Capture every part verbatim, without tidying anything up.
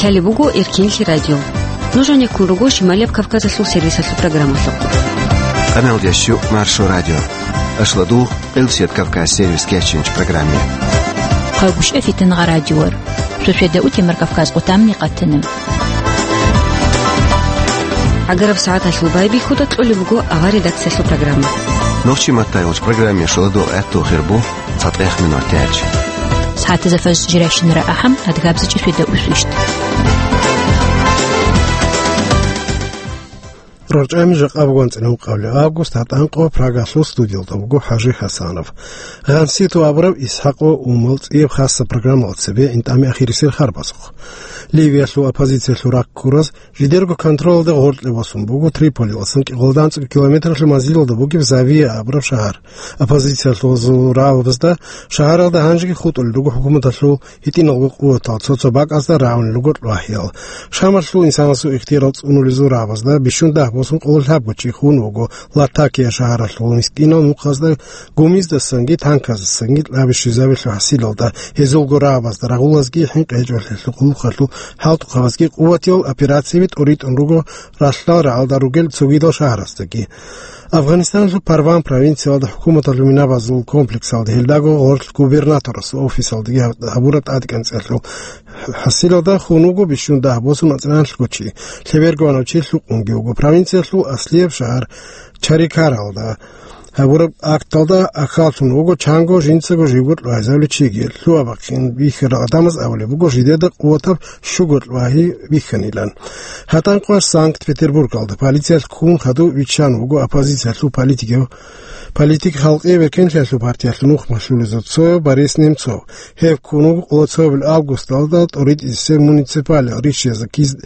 Лъалеб буго Эркинлъи радио. Нуж гьанеккун руго Шималияб Кавказалъул сервисалъул программалъухъ. Къаналдящу Маршо радио. Ашладугъ Къилсият Кавказ сервис кечинч программе. Хъагушев Фитнагъа радиор. Шошеда утемар Кавказ къутамни къатанаб. Агараб сагӀаталъул байбихьуда кьолеб буго авар редакциялъул программа. Нохчи матайулч программе шуладул гӀатту хирбу. ЦатӀех минут тяч. Сагьатизафаз жирашинара ахӀам, адгабзичӀи фида усвишт. РорчӀами жакъа бугонцӀила ункъавли август, гьатӀанкъо Прагалъул студиялда буго ХӀажи ХӀасанов. Гъанситу абураб ИсхӀакъо Умал цӀияб хасса программала цебе интӀами ахирисел харбазухъ. Ливиялъул оппозициялъул раккураз жидерго контролалда гъоркье босун буго Триполиласан кӀикъоялда анцӀго километралъул манзилалда бугеб Завия абураб шагьар. Оппозициялъул рагӀабазда шагьаралда гьанжеги хутӀулел руго хӀукуматалъул гьитӀиналго къуватал, цо-цо бакӀазда рагӀунел руго лъвагьиял. Шамалъул инсанасул ихтиярал цӀунулезул рагӀабазда бищун дагь босун къоло лъабго чи хун вуго Латакия шагьаралъул мискинал нухазда гумиздасанги танказдасанги кьаби щвезабиялъул хӀасилалда, гьезулго рагӀабазда рагъулазги хӀинкъи гьечӀолъиялъул къулухъалъул хӀалтӀухъабазги къуватиял операцияби тӀуритӀун руго ралъдал рагӀалда ругел цогидал шагьарасдаги. Афганистаналъул Парван провинциялда хӀукуматалъул минабазул комплексалда, гьелдаго гъорлъ губернаторасул офисалдаги гьаб-, гьабураб тӀадекӀанцӀиялъул хӀасилалда хун вуго бищун дагь босун анцӀила анлъго чи, лъеберго ванав чи лъукъунги вуго. Провинциялъул аслияб шагьар Чарикаралда гьабураб акталда ахьаллъун вуго чанго жинцаго живго лъугьайзавли чиги. Лъугьа-бахъин бихьарал гӀадамаз абулеб буго, жидеда къуватаб щуго лъугьайи бихьанилан. ГьатӀанкъваш Санкт-Петербургалда полициялъ ккун хадув виччан вуго оппозициялъул политикав-, политик Халкъи беркенлъиялъул партиялъул нухмалъулезул цояв Борис Немцов. Гьев ккун вуго къоло цоябил августалда тӀуритӀисеб муниципалияб ришшияз киз-,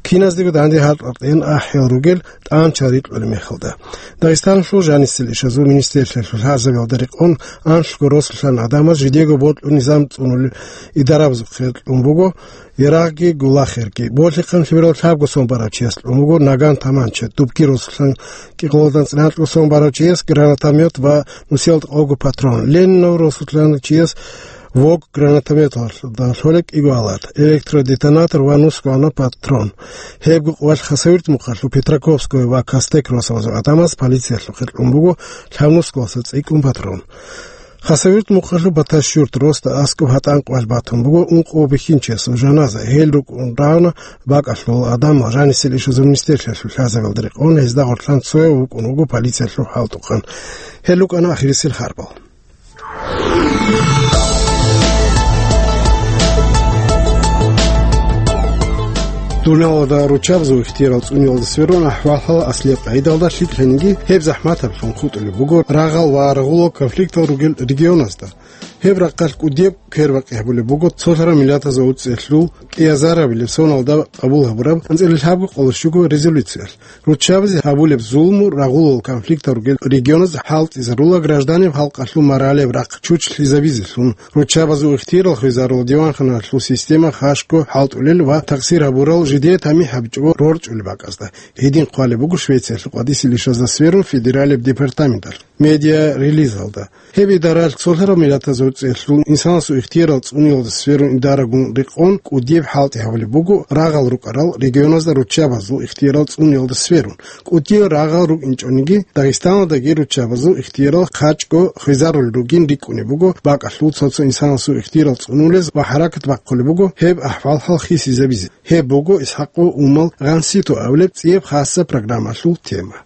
киназдего данде гьатӀатӀен ахӀел ругел тӀанчал рикьулеб мехалда. Дагъистаналъул жанисел ишазул министрлъиялъул лъазабиялда рекъон анлъго росулъан гӀадамаз жидего бокьун низам цӀунулел идарабазухъе кьун буго, Ярагъги Гулахерги. Борлъихъан лъимерал лъабго сон барав чияс кьун буго наган таманча, дубги росулъан кӀикъоялда анцӀила анлъго сон барав чияс гранатомет ва нусиялда къого патрон, Ленинав росулъан чияс вог гранатометалда лъолеб кӀиго алат, электродетонатор ва нусго гьанаб патрон. Гьебго къвалъ Хасавюрт мухъалъул Петраковское ва Костек росабазул гӀадамаз полициялъухъе кьун буго лъабнусгоялдаса цӀикӀкӀун патрон. Хасавюрт мухъалъул Баташюрт росда аскӀоб гьатӀан къвалъ батун буго ункъо бихьинчиясул жаназа. Гьел рукӀун равна бакӀалъул гӀадамал жанисел ишазул министрлъиялъул лъазабиялда рекъон гьезда гъорлъан цояв вукӀун вуго полициялъул хӀалтӀухъан. Гьел рукӀана ахирисел харбал. Дуниялалда руччабазул ихтиярал цӀуниялда сверун ахӀвал-хӀал аслияб къагӀидалда лъикӀлъаниги, гьеб захӀматаблъун хутӀулеб буго рагъал ва рагъулал конфликтал ругел регионазда. Гьеб рахъалъ кӀудияб квербакъи гьабулеб буго цолъараб миллатазул уцӀцӀиялъул кӀиазарабилеб соналда къабул гьабураб анцӀила лъабго къоло щуго резолюциялъ. Руччабазе гьабулеб зулму рагъулал конфликтал ругел регионаз хӀалтӀизарула гражданиб халкъалъул моралияб рахъ чучлъизабизелъун, руччабазул ихтиярал хвезарул диванханалъул система хашго хӀалтӀулел ва такъсир гьабурал жидее тамихӀ гьабичӀого рорчӀулеб бакӀазда. Гьедин хъвалеб буго Швециялъул къватӀисе лишазда сверун федералияб департаменталъ медиа-релизалда. Гьеб идаралъ цолъараб миллатазул уцӀцӀиялъул инсанасул ихтиярал цӀуниялда сверун идарагун рекъон кӀудияб хӀалтӀи гьабулеб буго рагъал рукӀарал регионазда руччабазул ихтиярал цӀуниялда сверун. КӀудиял рагъал рукӀинчӀониги, Дагъистаналдаги руччабазул ихтиярал хъачӀго хвезарулел ругин рикӀкӀунеб буго бакӀалъул цо-цо инсанасул ихтиярал цӀунулез ва хӀаракат бахъулеб буго гьеб ахӀвал-хӀал хисизабизе. Гьеб буго ИсхӀакъо Умал Гъанситу абулеб цӀияб хасса программалъул тема.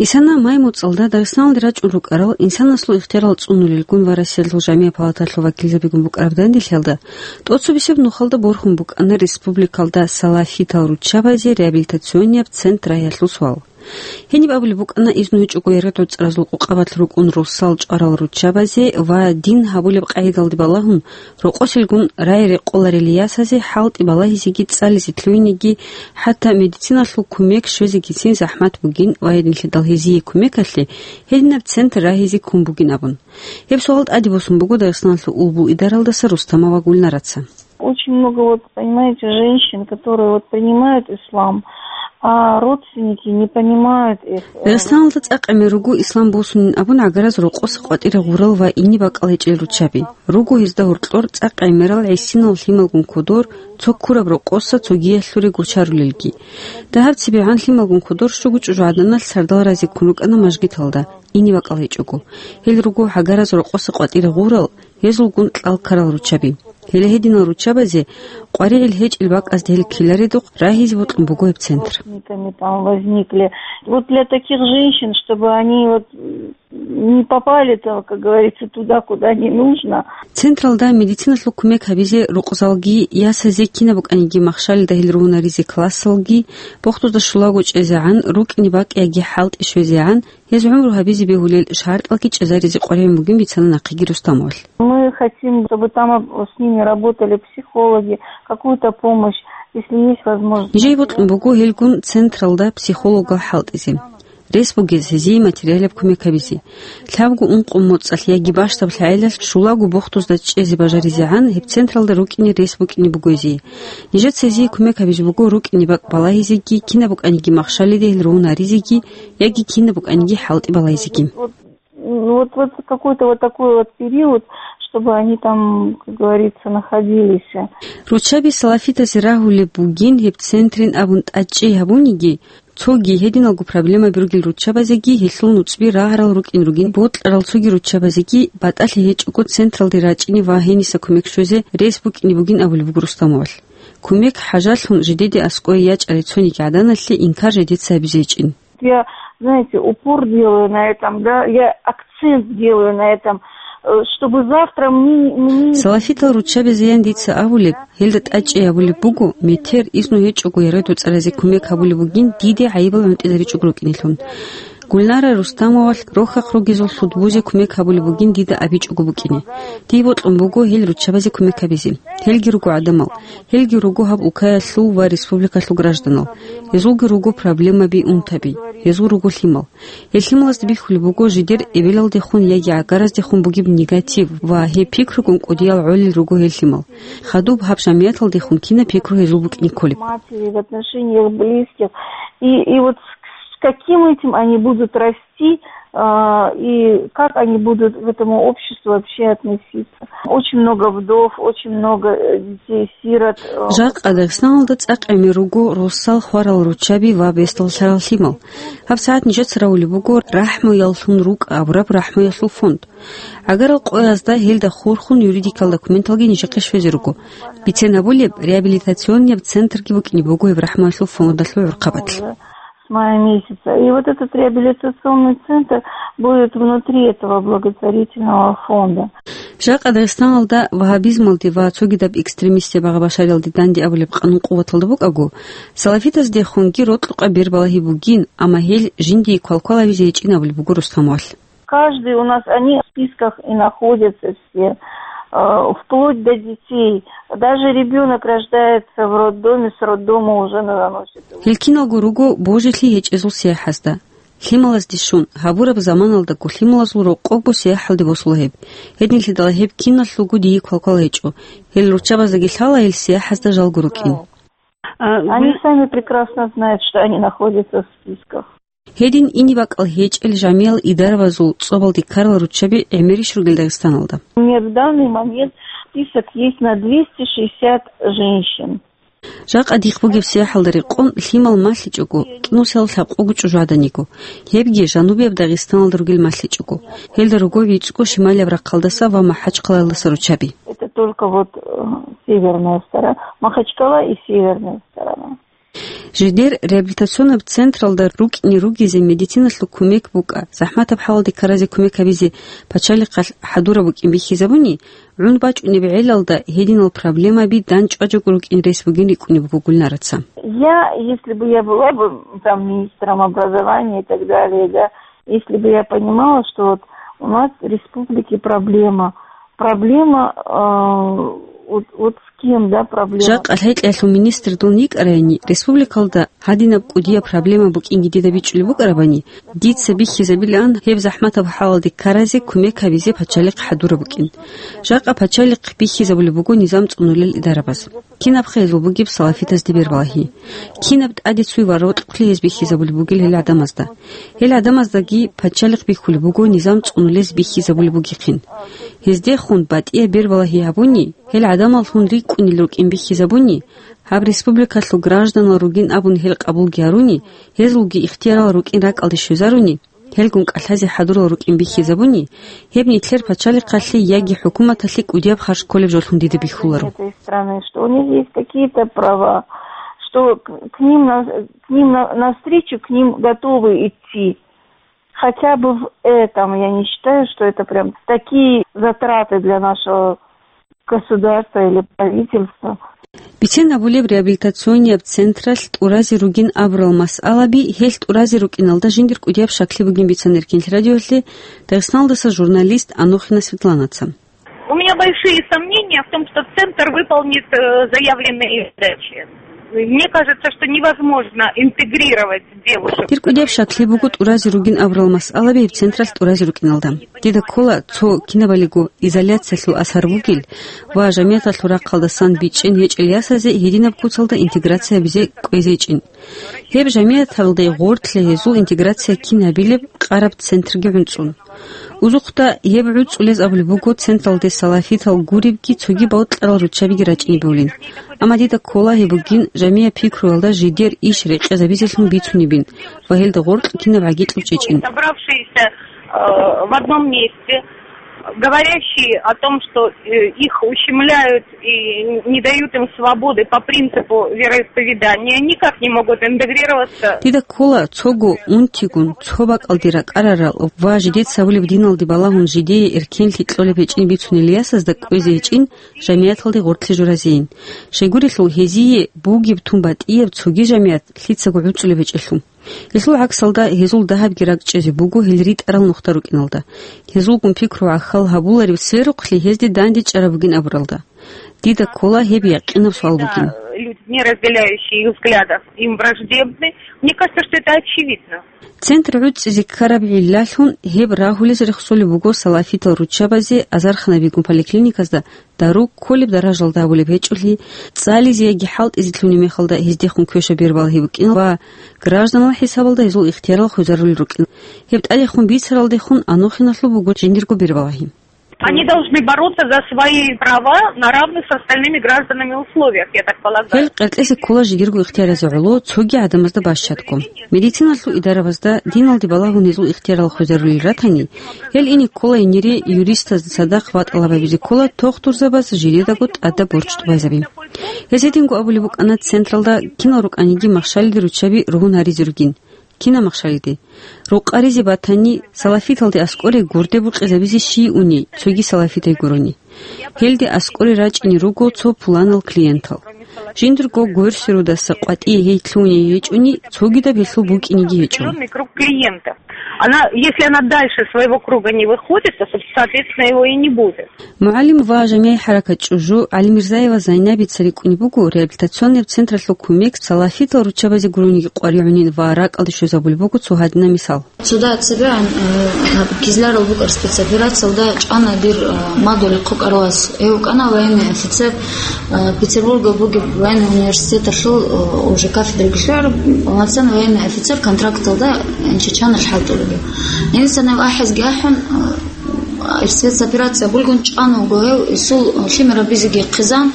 Исана май муцӀалда Дагъистаналде рачӀун рукӀарал инсанасул ихтиярал цӀунулелгун ва Россиялъул жамигӀ палаталъул вакилзабигун букӀараб данделъиялда тӀоцебесеб нухалда борхун букӀана республикалда салафитал руччабазе реабилитационияб центр рагьиялъул суал. Гьениб абулеб букӀана, изну гьечӀого яргъи-гӀуцӀаразул къокъабалъ рукӀун росал чӀварал руччабазе ва дин гьабулеб къагӀидалде балагьун, рокъосилгун рай-рекъоларел ясазе хӀалтӀи балагьизеги цӀализе лъугьинеги, хӀатта медициналъул кумек щвезегицин захӀмат бугин ва гьединлъидал гьезие кумекалъе гьединаб центр рагьизе ккун бугин абун. Гьеб суал тӀаде босун буго Дагъистаналъул улбул идаралдаса Рустамова Гульнараца. Очень много, вот, понимаете, женщин, которые вот принимают ислам, А родственники не понимают их, э. Дагъистаналда цӀакъ гӀемер руго ислам босунин абун гӀагараз рокъоса къватӀире гъурал ва ине бакӀал гьечӀел руччаби. Руго гьезда гьоркьор цӀакъ гӀемерал гӀисинал лъималгун кодор, цо ккураб рокъоса цогиялъуре гочарулелги. Дагьаб цебегӀан лъималгун кодор щуго чӀужугӀаданалъ сардал разиккун рукӀана мажгиталда, ине бакӀал гьечӀого. Гьел руго гӀагараз рокъоса къватӀире гъурал, гьезулгун кьал ккарал руччаби. Гьеле гьединал руччабазе къваригӀел гьечӀел бакӀазда гьел ккеларедухъ рагьизе бокьун буго гьеб центр. Там возникли. Вот для таких женщин, чтобы они вот, м, не попали там, как говорится, туда, куда не нужно. Централда медициналъул кумек гьабизе рукъзалги, ясазе кинаб букӀаниги махщалида гьел ругьунаризе классалги, бохтузда щулаго чӀезегӀан, рукӀине бакӀ яги хӀалтӀи щвезегӀан, гьез гӀумру гьабизе бегьулел шартӀалги чӀезаризе къваригӀун бугин бицана нахъеги Рустамовалъ. Мы хотим, чтобы там об-, с ними работали психологи, какую-то помощь, если есть возможность. Нижее бокьун буго гьелгун централда психологал хӀалтӀизе. Рес бугез гьезие материалаб кумек гьабизе. Лъабго ункъо моцӀалъ яги бащдаб лъагӀелалъ щулаго бохтузда чӀезе бажаризегӀан гьеб централда рукӀине рес букӀине буго гьезие. Нижеца гьезие кумек гьабизе буго рукӀине бакӀ балагьизеги, кинаб букӀаниги махщалида гьел ругьунаризеги, яги кинаб букӀаниги хӀалтӀи балайзеги. Вот, вот, вот какой-то вот такой вот период, чтобы они там, как говорится, находились. Руччаби салафитазе рагьулеб бугин гьеб центрин абун тӀадчӀей гьабуниги, цоги гьединалго проблемаби ругел руччабазеги гьелъул нуцӀби рагъарал рукӀин ругин, бокьарал цоги руччабазеги батӀалъи гьечӀого централде рачӀине ва гьениса кумек щвезе рес букӀине бугин абулеб буго Рустамовалъ. Кумек хӀажалъун жидеде аскӀове ячӀарай цониги гӀаданалъе инкар жидеца гьабизе гьечӀин. Я, знаете, упор делаю на этом, да, я акцент делаю на этом, э, чтобы завтра мне, мне... Салафитал руччабазеян дица абулеб, гьелда тӀадчӀей гьабулеб буго, метер изну гьечӀого ярадуцӀаразе кумек гьабулеб бугин диде гӀайибал гӀунтӀизаричӀого рукӀинелъун. Гульнара Рустамовалъ рохьахъ ругезул лъудбузе кумек гьабулеб бугин дида абичӀого букӀине. Дие бокьун буго гьел руччабазе кумек гьабизе. Гьелги руго гӀадамал. Гьелги руго гьаб улкаялъул ва республикалъул гражданал. Гьезулги руго проблемаби, унтаби. Гьезул руго лъимал. Гьел лъималазда бихьулеб буго жидер эбелалдехун яги гӀагараздехун бугеб негатив ва гьеб пикругун кӀудиял гӀолел руго гьел лъимал. Хадуб гьаб жамияталдехун кинаб пикру гьезул букӀине кколеб. Матери, в отношениях близких. И, и вот с, с каким этим они будут расти, а, и как они будут к этому обществу вообще относиться. Очень много вдов, очень много, э, детей-сирот, э. Жакъа Дагъистаналда цӀакъ гӀемер руго росал хварал руччаби ва бесдаллъарал лъимал. ГьабсагӀат нижеца равулеб буго «РахӀмуяллъун рукӀа» абураб рахӀмуялъул фонд. ГӀагарал къоязда гьелда хурхун юридикал документалги нижехъе щвезе руго. Бицен абулеб, реабилитационнияб центрги букӀине буго гьеб рахӀмуялъул фондалъул гӀурхъабатлъ. С мая месяца. И вот этот реабилитационный центр будет внутри этого благотворительного фонда. Жакъа Дагъистаналда вагьабизмалде ва цогидаб экстремистаб багъа-башариялде данде абулеб къанун къуваталда букӀаго, салафитаздехунги рокьукъа бер балагьи бугин, амма гьел жиндие квалквал гьавизе гьечӀин абулеб буго Рустамовалъ. Каждый у нас, они в списках и находятся все, э, вплоть до детей. Даже ребёнок рождается в роддоме, с роддома уже заносят его. Гьел киналго руго божилъи гьечӀезул сияхӀазда. Лъималазде щун, гьабураб заманалдаго лъималазул рокъобго сияхӀалде босула гьеб. Гьединлъидал гьеб киналъулго дие квалквал гьечӀо. Гьел руччабаздаги лъала гьел сияхӀазда жалго рукӀин. А, Они вы сами прекрасно знают, что они находятся в списках. Гьедин ине бакӀал гьечӀел жамиял идарабазул цӀобалде ккарал руччаби гӀемерищ ругел Дагъистаналда? У меня в данный момент список есть на двести шестьдесят женщин. Жакъа дихъ бугеб сияхӀалда рекъон лъимал малъичӀого, кӀинусиялда лъабкъого чӀужугӀаданиго, гьебги жанубияб Дагъистаналда ругел малъичӀого. Гьелда руго вицӀго шималияб рахъалдаса ва МахӀачхъалаялдаса руччаби. Это только вот, э, северная сторона, Махачкала и северная сторона. Жидер реабилитационаб централда рукӀине ругезе медициналъул кумек букӀа, захӀматаб хӀалалде ккаразе кумек гьабизе пачалихъалъ хӀадураб букӀин бихьизабуни, гӀун бачӀунеб гӀелалда гьединал проблемаби дандчӀваджого рукӀин рес бугин рикӀкӀунеб буго Гульнараца. Я, если бы я была бы там министром образования и так далее, да, если бы я понимала, что вот у нас в республике проблема, проблема, э, вот, вот с Ким, да, проблема. Жакъа лъикӀлъиялъул министр дун йикӀарайни, республикалда гьадинаб кӀудияб проблема букӀинги дида бичӀчӀулеб букӀарабани, дица бихьизабилаан гьеб захӀматаб хӀалалде ккаразе кумек гьабизе пачалихъ хӀадураб букӀин. Жакъа пачалихъ бихьизабулеб буго низам цӀунулел идарабаз. Кинаб хъезул бугеб салафитазде бербалагьи? Кинаб тӀаде цуй ва рокьулъи гьез бихьизабулеб бугел гьел гӀадамазда? Гьел гӀадамаздаги пачалихъ бихьулеб буго низам цӀунулез бихьизабулеб бугихъин. Гьездехун батӀияб бербалагьи гьабуни, гьел гӀадамаллъун рикӀкӀунел рукӀин бихьизабуни, гьаб республикалъул гражданал ругин абун гьел къабулги гьаруни, гьезулги ихтиярал рукӀин ракӀалде щвезаруни, гьелгун кӀалъазе хӀадурал рукӀин бихьизабуни, гьеб нилъер пачалихъалъе яги хӀукуматалъе кӀудияб харж кколеб жолъун дида бихьуларо. Этой страны, что у них есть какие-то права, что к, к ним на, к ним на, навстречу к ним готовы идти. Хотя бы в этом я не считаю, что это прям такие затраты для нашего государства или правительства. Бицен абулеб, реабилитационияб централъ тӀуразе ругин абурал масъалаби гьелъ тӀуразе рукӀиналда жиндир кӀудияб щаклъи бугин бицан Эркинлъи радиолъе Дагъистаналдаса журналист Анохина Светланаца. У меня большие сомнения в том, что центр выполнит, э, заявленные задачи. Мне кажется, что невозможно интегрировать девушек. Дир кӀудияб щаклъи буго тӀуразе ругин абурал масъалаби гьеб централъ тӀуразе рукӀиналда. Дида ккола, цо кинабалиго изоляциялъул асар бугел ва жамигӀаталъул рахъалдасан бичӀчӀен гьечӀел ясазе гьединаб куцалда интеграция гьабизе кӀвезечӀин. Гьеб жамигӀаталде гъорлъе гьезул интеграция кин гьабилеб къараб центрги гӀунцӀун. Узухъда гьеб гӀуцӀулез абулеб буго централде салафитал гуребги цоги бокьарал руччабиги рачӀинеб гьавлин. Амма дида ккола гьеб бугин жамигӀат пикруялда жидер иш рекъезабизелъун бицунебин ва гьелда гъоркь кинаб гӀагикьаб чӀечӀин. Собравшиеся, э, в одном месте, говорящие о том, что, э, их ущемляют и не дают им свободы по принципу вероисповедания, никак не могут интегрироваться. Дида ккола, цого унтигун, цо бакӀалде ракӀарарал ва жидеца гьабулеб диналде балагьун жидее эркенлъи кьолеб гьечӀин бицунел ясазда кӀвезе гьечӀин жамигӀаталде гъоркьлъи журазейин. Щайгурелъул гьезие бугеб тун батӀияб цоги жамигӀат лъицаго гӀуцӀулеб гьечӀелъул. Гьелъул гӀаксалда, гьезул дагьабги ракӀчӀезе буго гьел ритӀарал нухда рукӀиналда. Гьезулгун пикру гӀахьал гьабуларев сверухълъи гьезде данде чӀараб бугин абуралда. Дида ккола гьеб якъинаб суал бугин. Люди, не разделяющие их взглядов, им враждебны. Мне кажется, что это очевидно. Центр гӀуцӀизе ккараб гӀиллалъун гьеб рагьулез рехсолеб буго салафитал руччабазе азарханабигун поликлиниказда дару кколеб даражалда гьабулеб гьечӀолъи, цӀализе яги хӀалтӀизе лъугьунеб мехалда гьездехун квешаб бербалагьи букӀин ва гражданал хӀисабалда гьезул ихтиярал хвезарулел рукӀин. Гьеб тӀадехун бицаралдехун Анохиналъул буго жиндирго бербалагьи. Они должны бороться за свои права на равных с остальными гражданами условиях, я так полагаю. Гьел къеркьезе ккола жидерго ихтияразе гӀоло цоги гӀадамазда бащадго. Медициналъул идарабазда диналде балагьун гьезул ихтиярал хвезарулел ратани, гьел ине ккола гьенире юристазда цадахъ ва тӀалаб гьабизе ккола тохтурзабаз жидедаго тӀадаб борчӀ тӀубазаби. Гьез гьединго абулеб букӀана централда кинал рукӀаниги махщалиде руччаби ругьун гьаризе ругин. Кина махщалиде. Рукъаризе батани, салафиталде аскӀоре гурде букъизабизе щий уни, цоги салафитай гурони. Гьелде аскӀоре рачӀине руго цо пуланал клиентал. Жиндирго гверсерудаса къватӀие гьей лъугьуней гьечӀони, цогидаб гьелъул букӀинеги гьечӀо. Определённый круг клиентов. Она, если она дальше своего круга не выходит, то, соответственно, его и не будет. МугӀалим ва жамигӀи хӀаракат чӀужу ГӀалимирзаева Зайнабица рикӀкӀунеб буго реабилитационный централъул кумек салафитал руччабазе гурониги къваригӀунин ва ракӀалде щвезабулеб буго цо гьадинаб мисал. Цо дагьаб цебегӀан, э, гьаб кизларал букӀараб спецоперациялда чӀана дир, э, мадугьал хъукӀаралас. Гьев вукӀана военный офицер, э, Петербургал бугеб военный университеталъул, э, уже кафедраги лъугӀараб, полноценный военный офицер контракталда, э, Чечаналъ хӀалтӀулев. Гьениса гьев ахӀизги ахӀун, э, спецоперация абулгун чӀана вуго гьев, гьесул лъимер гьабизеги хъизан,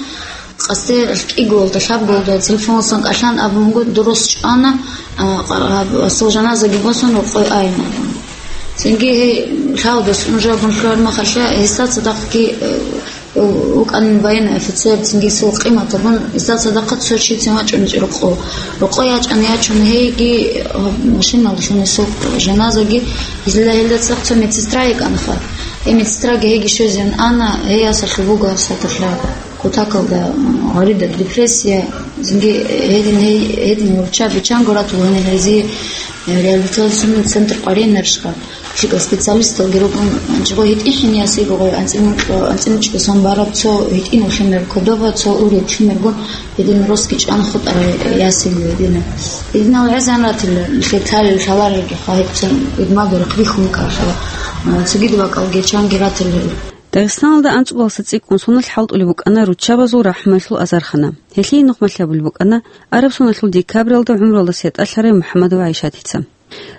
къасде кӀиголда, лъабголда телефонасан кӀалъан абун буго, дурус чӀана, а, къа-, гьасул жаназаги босун, рокъой айин абун. Цинги гьей лъалдас унжабун лъугьар махалъа, гьесда цадахъги, э, вукӀанин военный офицер, цинги гьесул къимат абун, гьесда цадахъа цо чицин вачӀунечӀо рокъо. Рокъо ячӀан ячун гьейги, э, машиналъун гьесул жаназаги, гьезда гьелда цадахъ цо медсестра йикӀанаха. Гьей медсестраги гьейги щвезеян ана, гьей ясалъул буго гьабсагӀаталъа. Кутакалда, м, гъарида депрессия, цинги гьедин гьей, гьедин руччаби чанго ратула гьенир гьезие, э, реабилитационный центр къваригӀинарищха. Щибаб специалисталги рукӀун, жо гьитӀинлъи ясилгун, анцӀила муч-, анцӀила мучӀги сон бараб цо гьитӀинав лъимер кодоба, цо уреб лъимергун, гьедин росги чӀван хутӀарай ясилги гьедина. Гьединал гӀезан ратила, лъетарел лъаларелги хъвагьибцин, идмадурахъ бихьун ккарха, а, цогидаб бакӀалги чанги ратила. Дагъистаналда анцӀбаласа цӀикӀкӀун соналъ хӀалтӀулеб букӀана руччабазул рахӀмуялъул азархана. Гьелъие нухмалъ абулеб букӀана араб соналъул декабралда гӀумруялдаса ятӀалъарай МухӀаммадова ГӀайшатица.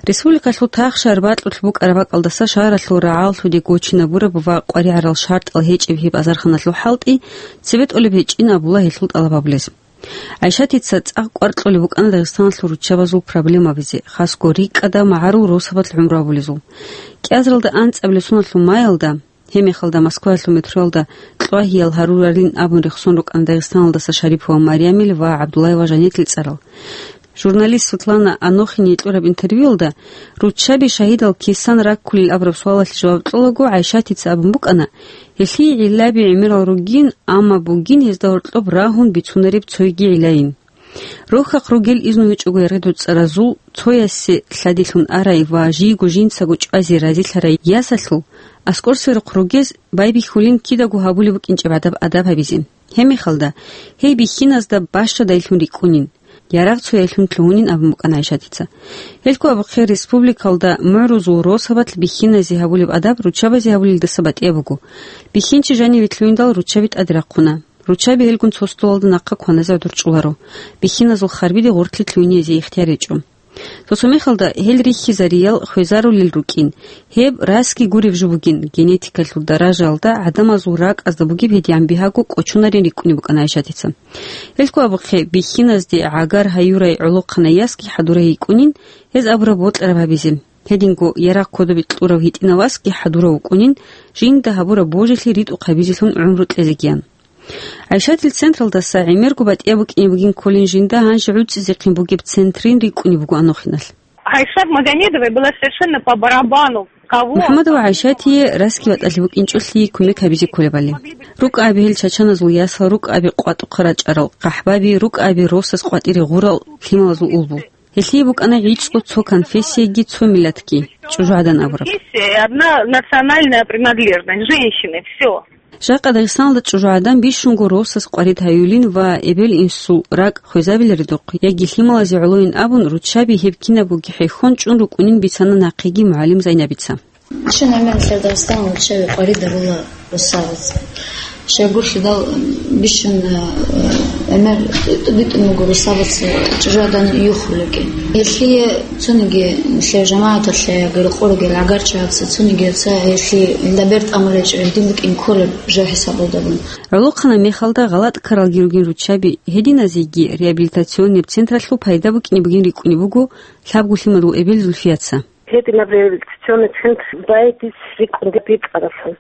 Республикалъул тагъ-шагьар бакьулъ букӀараб бакӀалдаса шагьаралъул рагӀаллъуде гочинабураб ва къваригӀарал шартӀал гьечӀеб гьеб азарханалъул хӀалтӀи цебетӀолеб гьечӀин абула гьелъул тӀалаб гьабулез. ГӀайшатица цӀакъ кӀвар кьолеб букӀана Дагъистаналъул руччабазул проблемабазе, хасго рикӀкӀадаб магӀарул росабалъ гӀумру гьабулезул. КӀиазаралда анцӀабилеб соналъул маялда, гьебмехалда Москваялъул метроялда кьвагьиял гьаруралин абун рехсон рукӀана Дагъистаналдаса Шарипова Марямил ва ГӀабдуллаева Жанетил цӀарал. Журналист Светлана Анохине кьураб интервьюялда руччаби шагьидал кисан раккулел абураб суалалъе жаваб кьолаго, ГӀайшатица абун букӀана, гьелъие гӀиллаби гӀемерал ругин, амма бугин гьезда гьоркьоб рагьун бицунареб цойги гӀиллайин. Рохьахъ ругел изну гьечӀого яргъи-дуцӀаразул, цоясе лъадилъун арай ва жийго жинцаго чӀвазе разилъарай ясалъул, аскӀор сверухъ ругез байбихьулин кидаго гьабулеб букӀинчӀеб гӀадаб адаб гьабизе. Гьебмехалда, гьей бихьиназда бащадайлъун рикӀкӀунин, ярагъ цояйлъун лъугьунин абун букӀана ГӀайшатица. Гьелъго абухъе республикалда мугӀрузул росабалъ бихьиназе гьабулеб адаб руччабазе гьабулелдаса батӀияб буго. Бихьинчи жаниве лъугьиндал руччаби тӀаде рахъуна. Руччаби гьелгун цо столалда нахъа кваназе гӀодор чӀоларо. Бихьиназул харбиде гъоркье лъугьинезе ихтияр гьечӀо. Цо-цо мехалда гьел рихьизариял хвезарулел рукӀин, гьеб расги гуреб жо бугин, генетикалъул даражаялда гӀадамазул ракӀазда бугеб гьедигӀан бигьаго кӀочонарин рикӀкӀунеб букӀана ГӀайшатица. Гьелъго абухъе, бихьиназде гӀагар гьаюрай гӀолохъанай ясги хӀадурай йикӀунин, гьез абураб бокьараб гьабизе. Гьединго ярагъ кодобе кьурав гьитӀинав васги хӀадурав вукӀунин, жинда гьабураб божилъи ритӀухъ гьабизелъун гӀумру кьезегиян. ГӀайшатил централдаса гӀемерго батӀияб букӀине бугин кколин жинда гьанже гӀуцӀизехъин бугеб центрин рикӀкӀунеб буго Анохиналъ. Айшат Магомедовой было совершенно по барабану, кого. МухӀаммадова ГӀайшатие расги ватӀалъи букӀинчӀолъи кумек гьабизе кколебали. РукӀаби гьел чачаназул ясал, рукӀаби къватӀухъа рачӀарал къахӀбаби, рукӀаби росас къватӀире гъурал лъималазул улбу. Гьелъие букӀана гӀицӀго цо конфессияги цо миллатги, чӀужугӀадан абураб. Есть одна национальная принадлежность женщины, всё. Жакъа Дагъистаналда чӀужугӀадан бищунго росас къварид гьаюлин ва эбел-инсул ракӀ хвезабиларедухъ яги лъималазе гӀолойин абун, руччаби гьеб кинабгоги хӀехьон чӀун рукӀунин бицана нахъеги мугӀалим Зайнабица. Щун гӀемер нилъер Дагъистаналда руччаби къварид гьарула росабаз. Щайгурелъул бищун, э, гӀемер тӀутӀун-битӀун буго росабаз чӀужугӀадан юхулеги. Гьелъие цониги нилъер жамагӀаталъе яги рокъорогел гӀагарчагӀаца цониги ца гьелъие илда бер тӀамулечӀо, гьедин букӀин кколеб жо хӀисабалдабун. ГӀолохъанаб мехалда гъалатӀ ккаралги ругин руччаби, гьединазеги реабилитационный централъул пайда букӀине бугин рикӀкӀунеб буго лъабго лъимадул эбел Зульфияца. Гьединаб реабилитационный центр байдис рикӀкӀунде бикьаралъун.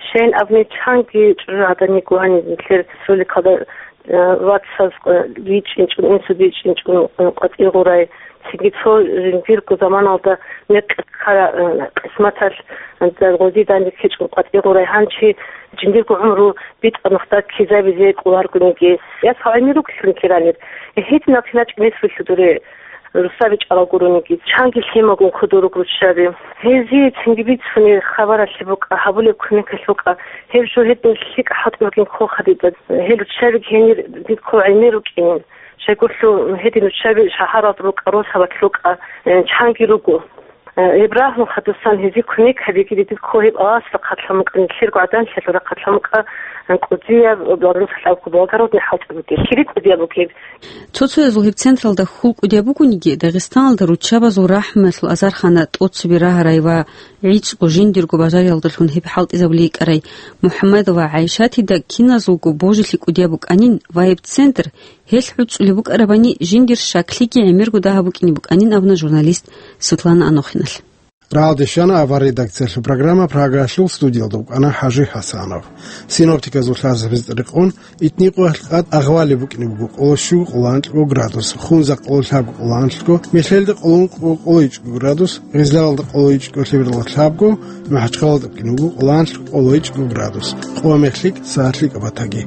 Щайин абни чанги чӀужугӀадан йикӀо гьаниб нилъер республикалда, э, вацаз, э, бичӀчӀинчӀун, инсу бичӀчӀинчӀун, э, къватӀир гъурай, цинги цо жиндирго заманалда мекъи ккара, э, къисматалъ, э, гъозидан рихьичӀун къватӀир гъурай гьанчи жиндирго гӀумру битӀа нухда ккезабизе кӀоларгониги. Ясал гӀемер ругелъул ккеранир. Гьединал киначӀ нес вилълъудуре. Русаби чӀалал гурониги, чанги лъимагун кодоруг руччаби. Гьезие цинги бицунеб хабаралъе букӀа, гьабулеб кумекалъе букӀа, гьеб жо гьедин лъикӀ хӀалтӀи бугин кколха дида. Гьел руччабиги гьенир дидго гӀемер рукӀинин. Щайгурелъул гьедин руччаби шагьаралда рукӀа, росабалъ рукӀа, э, чанги руго. Э, гьеб рагьун хадусан гьезие кумек гьабиги дидго гьеб аласда хъатлъан букӀа, нилъерго гӀаданлъиялда хъатлъан букӀа, э, кӀудияб, благородный хӀалтӀи бугеб, кири кӀудияб бугеб. Цо-цоязул гьеб централда хьул кӀудияб бугониги, Дагъистаналда руччабазул рахӀмуялъул азархана тӀоцебе рагьарай ва гӀицӀго жиндирго бажариялдалъун гьеб хӀалтӀизабулей йикӀарай МухӀаммадова ГӀайшатида киназулго божилъи кӀудияб букӀанин ва гьеб центр гьелъ гӀуцӀулеб букӀарабани жиндир щаклъиги гӀемерго дагьаб букӀине букӀанин абуна журналист Светлана Анохиналъ. Рагьалде щвана авар редакциялъул программа, Прагаялъул студиялда вукӀана ХӀажи ХӀасанов. Синоптиказул лъазабазда рекъон, итникъоялъ къад агъвалеб букӀине буго, къоло щуго, къоло анкьго градус, Хунзахъ къоло лъабго, къоло анлъго, Мелъелда къоло ункъго, къоло ичӀго градус, Гъизларалда къоло ичӀго, Лъебералда лъабго, МахӀачхъалада букӀине буго къоло анлъго, къоло ичӀго градус. Къо мехлъи сагӀатлъи кӀабатаги.